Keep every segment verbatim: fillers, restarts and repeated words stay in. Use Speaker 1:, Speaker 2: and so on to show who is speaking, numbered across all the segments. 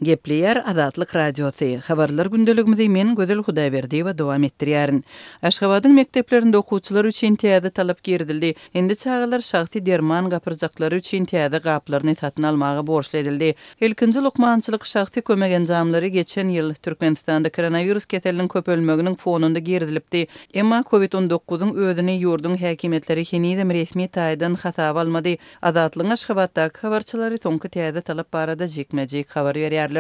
Speaker 1: Gepleýär Azatlyk Radiosy. Habarlar gündeligimizi men Gözel Hudaýberdiýewa dowam etdirýärin. Aşgabadyň mekdeplerinde okuwçylar üçin täze talap girizildi. Indi çagalar şahsy derman gapyrjaklary üçin täze gaplaryny satyn almaga borçly edildi. Ilkinji lukmançylyk şahsy kömek enjamlary geçen ýyl Türkmenistanda koronawirus keseliniň köpelmeginiň fonunda girizilipdi. Emma Covid on dokuzyň özüni ýurduň häkimiýetleri henizem resmi taýdan hasaba almady. Azatlygyň Aşgabatdaky habarçylary soňky täze talap barada jikme-jik habar berýärler.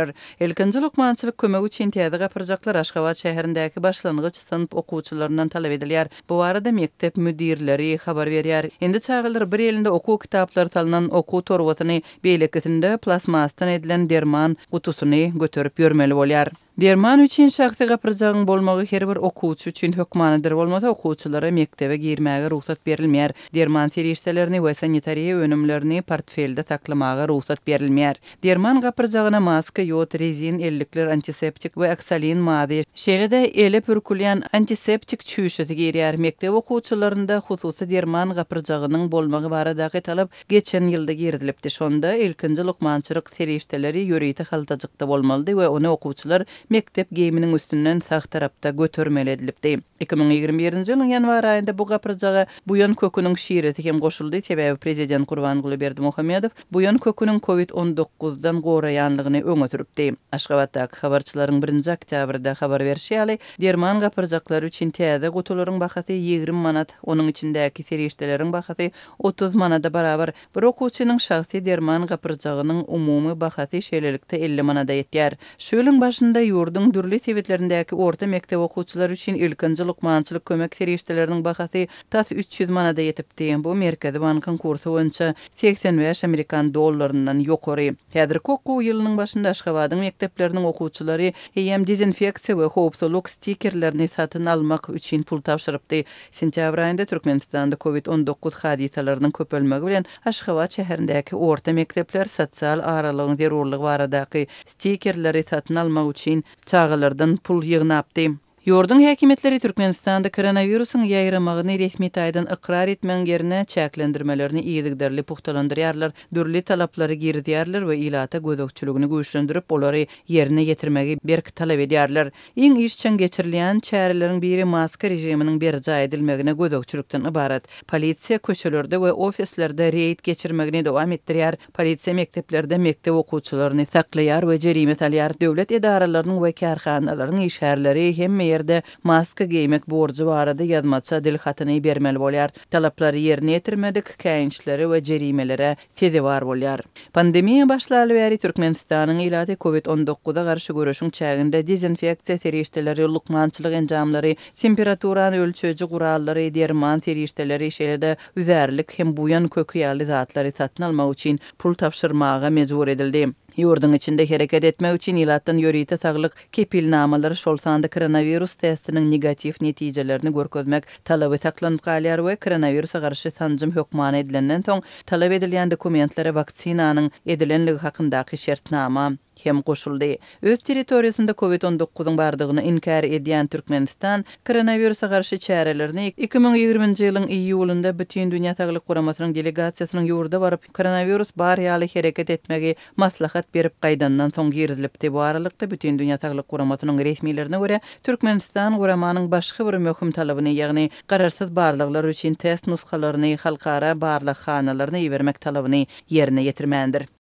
Speaker 1: Ilkinji lukmançylyk kömegi üçin täze gapyrjaklar Aşgabat şäherindäki başlangyç synp okuwçylaryndan talap edilýär. Bu barada mekdep müdirleri habar berýär. Indi çagalar bir elinde okuw kitaplary salynan okuw torbasyny, beýlekisinde plastmasdan edilen derman gutusyny göterip ýörmeli bolýar. Derman üçin şahsy gapyrjagyň bolmagy her bir okuwçy üçin hökmanydyr, bolmasa okuwçylara mekdebe girmäge rugsat berilmeýär. Derman serişdelerini we sanitariýa önümlerini portfelde saklamaga rugsat berilmeýär. Derman gapyrjagyna maska, ýod, rezin, ellikler, antiseptik we oksalin mazy, şeýle-de ele pürkülýän antiseptik çüýşesi girýär. Mekdep okuwçylarynda hususy derman gapyrjagynyň bolmagy baradaky talap geçen ýylda girizilipdi. Şonda ilkinji lukmançylyk serişdeleri ýörite haltajykda bolmalydy we ony okuwçylar mekdep geýiminiň üstünden sag tarapda götermeli edilipdi. iki müň ýigrimi birinji ýylyň ýanwar aýynda bu gapyrjaga buýan köküniň şiresi hem goşuldy. Sebäbi prezident Gurbanguly Berdimuhamedow buýan köküniň Covid on dokuzdan goraýanlygyny öňe sürüpdi. Aşgabatdaky habarçylaryň birinji oktýabrda habar berşi ýaly, derman gapyrjaklary üçin täze gutularyň bahasy ýigrimi manat, onuň içindäki serişdeleriň bahasy otuz manada barabar. Bir okuwçynyň şahsy derman gapyrjagynyň umumy bahasy şeýlelikde elli manada ýetýär. Şu ýylyň başynda ýurduň dürli sebitlerindäki orta mekdep okuwçylary üçin ilkinji lukmançylyk kömek serişdeleriniň bahasy tas üç ýüz manada ýetipdi. Bu Merkezi bankyň kursy boýunça seksen bäş amerikan dollaryndan ýokary. Häzirki okuw ýylynyň başynda Aşgabadyň mekdepleriniň okuwçylary eýýäm dezinfeksiýa we howpsuzlyk stikerlerini satyn almak üçin pul tabşyrypdy. Sentýabr aýynda Türkmenistanda Covid on dokuz hadysalarynyň köpelmegi bilen Aşgabat şäherindäki orta mekdepler sosial aralygyň zerurlygy baradaky stikerleri satyn almak üçin çagalardan pul ýygnapdy. Ýurduň häkimiýetleri Türkmenistanda koronawirusyň ýaýramagyny resmi taýdan ykrar etmegiň ýerine çäklendirmelerini yzygiderli pugtalandyrýarlar, dürli talaplary girizýärler we ilata gözegçiligini güýçlendirip, olary ýerine ýetirmegi berk talap edýärler. Iň işjeň geçirilýän çäreleriň biri maska režiminiň berjaý edilmegine gözegçilikden ybarat. Polisiýa köçelerde we ofislerde reýd geçirmegini dowam etdirýär. Polisiýa mekdeplerde mekdep okuwçylaryny saklaýar we jerime salýar. Döwlet edaralarynyň we kärhanalaryň işgärleri hemme ýerde maska geýmek borjy barada ýazmaça dil hatyny bermeli bolýar. Talaplary ýerine ýetirmedik käýinçlere we jerimelere sezewar bolýar. Pandemiýa başlaly bäri Türkmenistanyň ilaty Covid on dokuza garşy göreşiň çäginde dezinfeksiýa serişdeleri, lukmançylyk enjamlary, temperaturany ölçeýji gurallary, derman serişdeleri, şeýle-de üzärlik hem buýan köki ýaly zatlary satyn almak üçin pul tabşyrmaga mejbur edildi. Ýurduň içinde hereket etmek üçin ilatdan ýörite saglyk kepilnamalary, şol sanda koronavirus testiniň negatiw netijelerini görkezmek talaby saklanyp galýar we koronawirusa garşy sanjym hökmany edilenden soň talap edilýän dokumentlere waksinanyň edilenligi hakyndaky şertnama hem goşuldy. Öz territoriýasynda Covid on dokuzyň bardygyny inkär edýän Türkmenistan koronawirusa garşy çärelerini iki müň ýigriminji ýylyň iýulynda Bütün Dünýä Saglyk Guramasynyň delegasiýasynyň ýurda baryp koronavirus bar ýaly hereket etmegi maslahat berip gaýdandan soň girizilipdi. Bu aralykda Bütün Dünýä Saglyk Guramasynyň resmilerine görä Türkmenistan guramanyň başga bir möhüm talabyny, ýagny garaşsyz barlaglar üçin test nusgalaryny halkara barlaghanalaryna ibermek talabyny ýerine ýetirmändir.